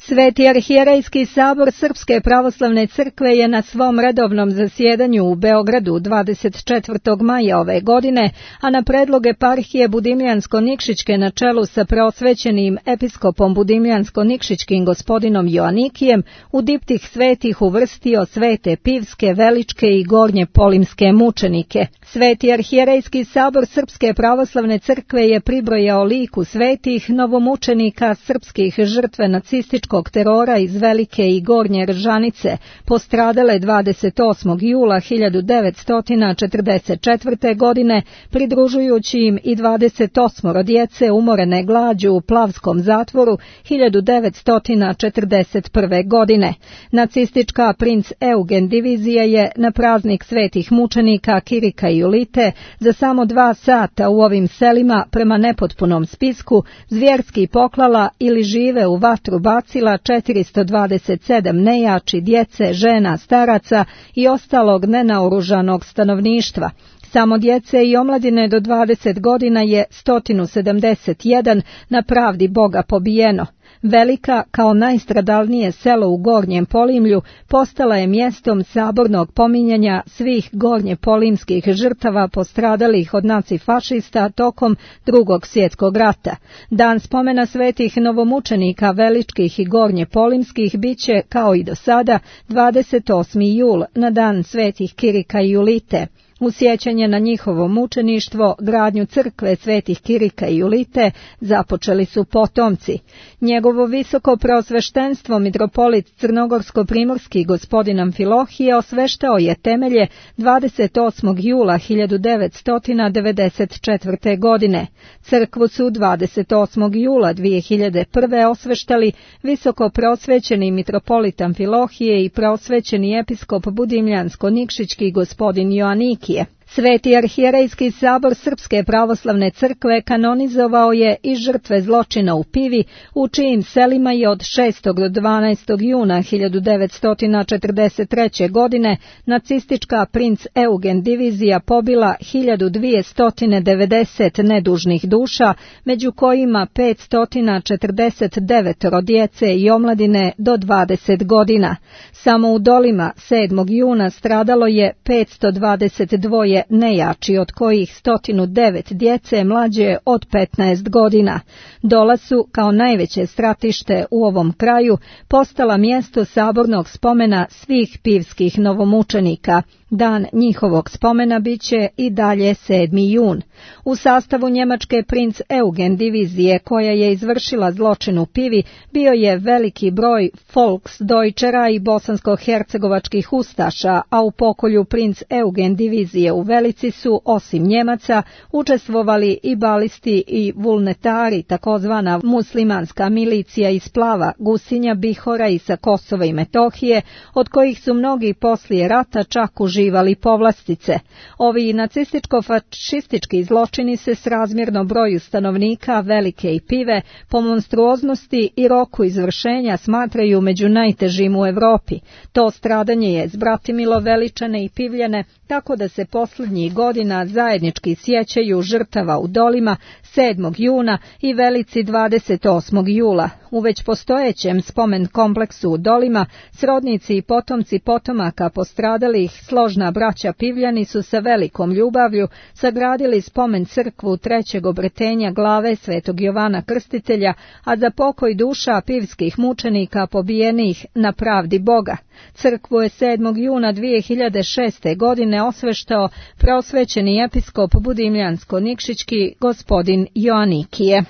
Sveti arhijerejski sabor Srpske pravoslavne crkve je na svom redovnom zasjedanju u Beogradu 24. maja ove godine, a na predlog eparhije Budimljansko-Nikšićke na čelu sa preosvećenim episkopom Budimljansko-Nikšićkim gospodinom Joanikijem, u diptih svetih uvrstio svete Pivske, Veličke i Gornje Polimske mučenike. Sveti arhijerejski sabor Srpske pravoslavne crkve je pribrojao liku svetih novomučenika srpskih žrtve nacističkog terora iz Velike i Gornje Ržanice, postradale 28. jula 1944. godine, pridružujući im i 28 djece umorene glađu u Plavskom zatvoru 1941. godine. Nacistička princ Eugen divizija je na praznik svetih mučenika Kirika i Julite za samo 2 sata u ovim selima prema nepotpunom spisku zvjerski poklala ili žive u vatru bacila 427 nejači, djece, žena, staraca i ostalog nenaoružanog stanovništva. Samo djece i omladine do 20 godina je 171 na pravdi Boga pobijeno. Velika, kao najstradalnije selo u Gornjem Polimlju, postala je mjestom sabornog pominjanja svih gornjepolimskih žrtava postradalih od nacifašista tokom Drugog svjetskog rata. Dan spomena svetih novomučenika Veličkih i Gornjepolimskih biće, kao i do sada, 28. jul na dan svetih Kirika i Julite. U sjećanje na njihovo mučeništvo, gradnju crkve svetih Kirika i Julite započeli su potomci. Njegovo visoko preosveštenstvo mitropolit Crnogorsko-primorski gospodin Amfilohije osveštao je temelje 28. jula 1994. godine. Crkvu su 28. jula 2001. osveštali visoko preosvećeni mitropolit Amfilohije i preosvećeni episkop Budimljansko-Nikšićki gospodin Joanikije. Sveti arhijerejski sabor Srpske pravoslavne crkve kanonizovao je i žrtve zločina u Pivi, u čijim selima je od 6. do 12. juna 1943. godine nacistička princ Eugen divizija pobila 1290 nedužnih duša, među kojima 549 djece i omladine do 20 godina. Samo u Dolima 7. juna stradalo je 522 nejači, od kojih 109 djece mlađe od 15 godina. Dola su, kao najveće stratište u ovom kraju, postala mjesto sabornog spomena svih pivskih novomučenika. Dan njihovog spomena biće i dalje 7. jun. U sastavu njemačke princ Eugen divizije, koja je izvršila zločin u Pivi, bio je veliki broj Volksdeutschera i bosansko-hercegovačkih ustaša, a u pokolju princ Eugen divizije u Velici su, osim Njemaca, učestvovali i balisti i vulnetari, takozvana muslimanska milicija iz Plava, Gusinja, Bihora i sa Kosova i Metohije, od kojih su mnogi poslije rata čak uživali povlastice. Ovi nacističko-fašistički zločini se srazmjerno broju stanovnika Velike i Pive po monstruoznosti i roku izvršenja smatraju među najtežim u Europi. To stradanje je zbratimilo Veličane i Pivljane, tako da se posljednjih godina zajednički sjećaju žrtava u Dolima 7. juna i Velici 28. jula. U već postojećem spomen kompleksu u Dolima srodnici i potomci potomaka postradalih složna braća Pivljani su sa velikom ljubavlju sagradili spomen crkvu trećeg obretenja glave svetog Jovana Krstitelja, a za pokoj duša pivskih mučenika pobijenih na pravdi Boga. Crkvu je 7. juna 2006. godine osveštao preosvećeni episkop Budimljansko-Nikšićki gospodin Joanikije.